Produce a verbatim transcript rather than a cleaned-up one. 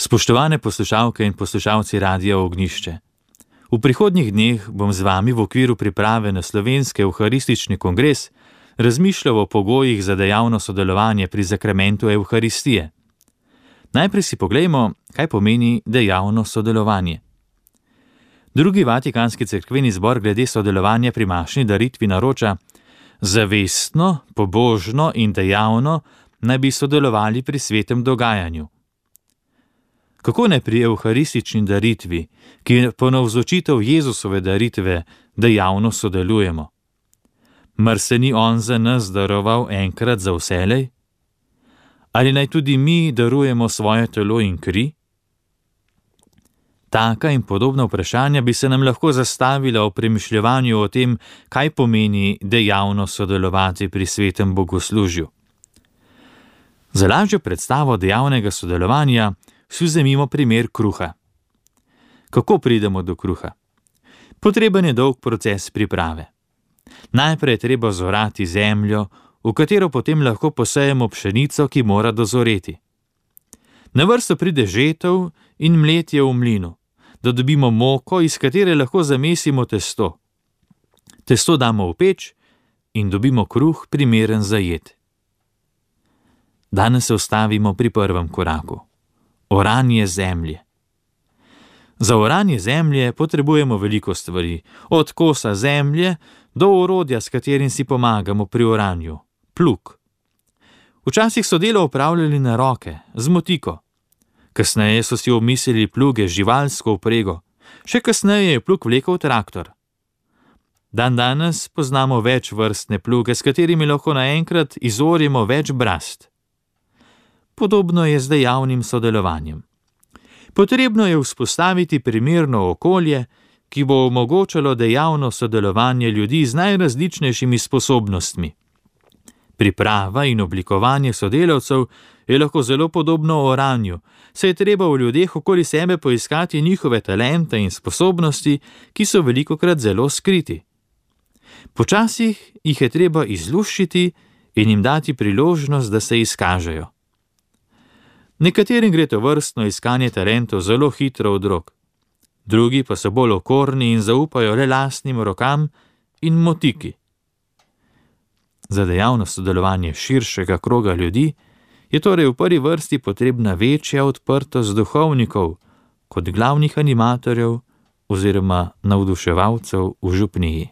Spoštovane poslušalke in poslušalci Radia Ognjišče, v prihodnjih dneh bom z vami v okviru priprave na slovenski evharistični kongres razmišljal o pogojih za dejavno sodelovanje pri zakramentu Evharistije. Najprej si poglejmo, kaj pomeni dejavno sodelovanje. Drugi vatikanski cerkveni zbor glede sodelovanja pri mašni daritvi naroča: zavestno, pobožno in dejavno naj bi sodelovali pri svetem dogajanju. Kako ne pri evharistični daritvi, ki je ponavzočitev Jezusove daritve, dejavno sodelujemo? Mar se ni on za nas daroval enkrat za vselej? Ali naj tudi mi darujemo svoje telo in kri? Taka in podobna vprašanja bi se nam lahko zastavila v premišljevanju o tem, kaj pomeni dejavno sodelovati pri svetem bogoslužju. Za lažjo predstavo dejavnega sodelovanja si vzemimo primer kruha. Kako pridemo do kruha? Potreben je dolg proces priprave. Najprej je treba zorati zemljo, v katero potem lahko posejemo pšenico, ki mora dozoreti. Na vrsto pride žetev in mletje v mlinu, da dobimo moko, iz katere lahko zamesimo testo. Testo damo v peč in dobimo kruh, primeren za jed. Danes se ustavimo pri prvem koraku. Oranje zemlje. Za oranje zemlje potrebujemo veliko stvari, od kosa zemlje do orodja, s katerim si pomagamo pri oranju, plug. Včasih so delo opravljali na roke, z motiko. Kasneje so si omislili pluge z živalsko vprego, še kasneje je plug vlekel traktor. Dan danes poznamo več vrstne pluge, s katerimi lahko naenkrat izorjemo več brast. Podobno je z dejavnim sodelovanjem. Potrebno je vzpostaviti primerno okolje, ki bo omogočalo dejavno sodelovanje ljudi z najrazličnejšimi sposobnostmi. Priprava in oblikovanje sodelavcev je lahko zelo podobno oranju, saj je treba v ljudeh okoli sebe poiskati njihove talente in sposobnosti, ki so velikokrat zelo skriti. Počasih jih je treba izluščiti in jim dati priložnost, da se izkažejo. Nekaterim gre to vrstno iskanje talentov zelo hitro od rok, drugi pa so bolj okorni in zaupajo le lastnim rokam in motiki. Za dejavno sodelovanje širšega kroga ljudi je torej v prvi vrsti potrebna večja odprtost duhovnikov kot glavnih animatorjev oziroma navduševalcev v župniji.